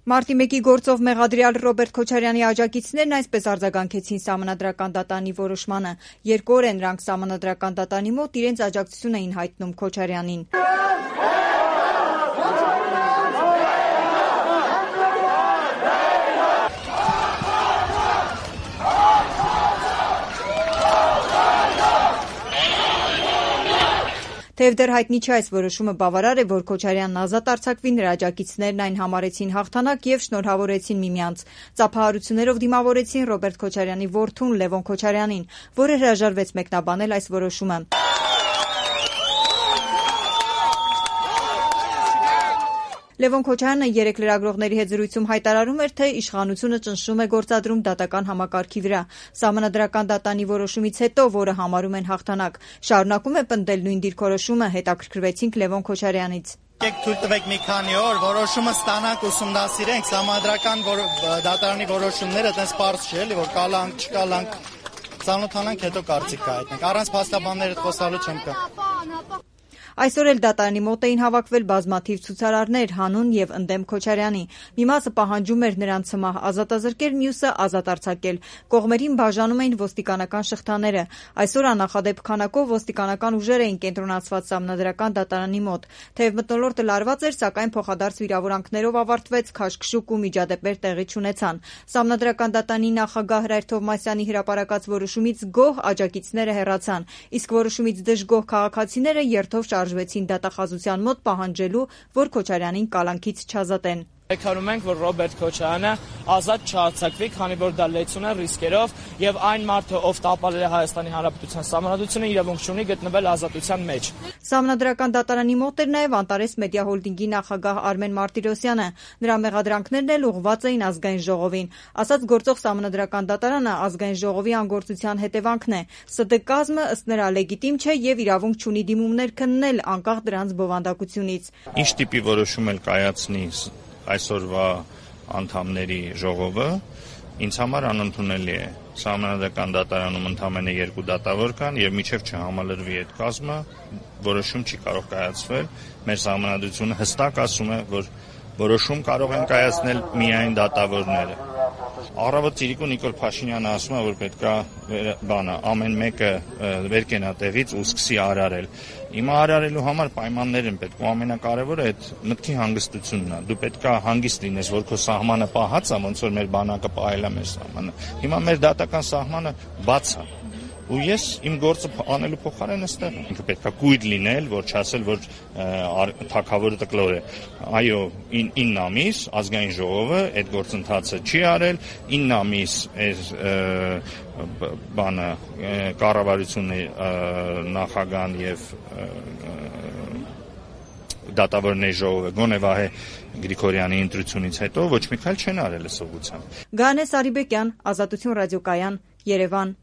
Մարտի 1-ի գործով մեղադրյալ Ռոբերտ Քոչարյանի աջակիցներն այսպես արձագանքեցին Սահմանադրական դատարանի որոշմանը։ 2 օր է նրանք Սահմանադրական դատարանի մոտ իրենց աջակցություն էին հայտնում Քոչարյանին։ Թեև դեռ հայտնի չէ այս որոշումը բավարար է, որ Քոչարյանն ազատ արձակվի, նրա աջակիցներն այն համարեցին հաղթանակ եւ շնորհավորեցին միմյանց։ Ծափահարություններով դիմավորեցին Ռոբերտ Քոչարյանի որդուն Լևոն Քոչարյանին, որը հրաժարվեց մեկնաբանել այս որոշումը։ Լևոն Քոչարյանը երեկ լրագրողների հետ զրույցում հայտարարում էր, թե իշխանությունը ճնշում է գործադրում դատական համակարգի վրա։ Սահմանադրական դատարանի որոշումից հետո, որը համարում են հաղթանակ, շարունակում է պնդել նույն դիրքորոշումը, հետաքրքրվեցինք Լևոն Քոչարյանից։ Եկեք թույլ տվեք մի քանի օր որոշումը ստանանք, ուսումնասիրենք Սահմանադրական դատարանի որոշումները, այտենց պարզ չէ, էլի որ կալանք, չկալանք, ծանոթանանք, հետո կարծիք կհայտնենք։ Առանց փաստաբանների խոսալու չեմ կա։ Այսօր էլ դատարանի մոտ էին հավաքվել բազմաթիվ ցուցարարներ հանուն եւ ընդդեմ Քոչարյանի։ Մի մասը պահանջում էր նրան ցմահ ազատազրկել, մյուսը ազատ արձակել։ Կողմերին բաժանում էին ոստիկանական շղթաները։ Այսօր աննախադեպ քանակով ոստիկանական ուժեր էին կենտրոնացված Սահմանադրական դատարանի մոտ։ Թեև մթնոլորտը լարված էր, սակայն փոխադարձ վիրավորանքներով ավարտվեց, քաշքշուկ ու միջադեպեր տեղի չունեցան։ Սահմանադրական դատարանի նախագահ Հրայր Թովմասյանի հրապարակած որոշումից գոհ աջակիցները հեռացան, իսկ որոշումից դժգոհ քաղաքացիները երթով շարժվեցին դատախազության մոտ պահանջելու, որ Քոչարյանին կալանքից չազատեն։ Պայքարում ենք, որ Ռոբերտ Քոչարյանը ազատ չարձակվի, քանի որ դա լեցուն է ռիսկերով եւ այն մարդը, ով տապալել է Հայաստանի Հանրապետության Սահմանադրությունը, իրավունք չունի գտնվել ազատության մեջ։ Սահմանադրական դատարանի մոտ էր նաեւ Անտարես Մեդիա Հոլդինգի նախագահ Արմեն Մարտիրոսյանը։ Նրա մեղադրանքներն էլ ուղղված էին ազգային ժողովին։ Ասաց գործող Սահմանադրական դատարանը ազգային ժողովի անգործության հետևանքն է։ ՍԴ կազմը ըստ նրա լեգիտիմ չէ եւ իրավունք չունի դիմումներ քննել անկախ դրանց բովանդակությունից։ Ինչ տիպի որոշում էլ կայացնի այսօրվա անդամների ժողովը ինձ համար անընդունելի է։ Սահմանադրական դատարանում ընդամենը 2 դատավոր կան եւ մինչեւ չհամալրվի այդ կազմը որոշում չի կարող կայացվել։ Մեր սահմանադրությունը հստակ ասում է, որ որոշում կարող են կայացնել միայն դատավորները։ Առավոտ Ծիրիկու Նիկոլ Փաշինյանը ասում է, որ պետքա ամեն մեկը վեր կենա տեղից ու սկսի արարել։ Հիմա արարելու համար պայմաններ են պետք ու ամենակարևորը այդ մտքի հանգստությունն է։ Դու պետքա հանգիստ լինես, որ քո սահմանը պահած է, ոնց որ մեր բանակը պահել է մեր սահմանը։ Հիմա մեր դատական սահմանը բաց է։ Ու ես իմ գործը անելու փոխարեն այստեղ եմ։ Ինքը պետքա կույր լինել, որ չասել, որ թագավորը տկլոր է։ Այո, 9 ամիս ազգային ժողովը այդ գործընթացը չի արել, 9 ամիս կառավարությունը նախագահան եւ դատավորների ժողովը գոնե Վահե Գրիգորյանի ընտրությունից հետո ոչ մի քայլ չեն արել ըստ ուղղության։ Գանե Սարիբեկյան, Ազատություն ռադիոկայան, Երևան։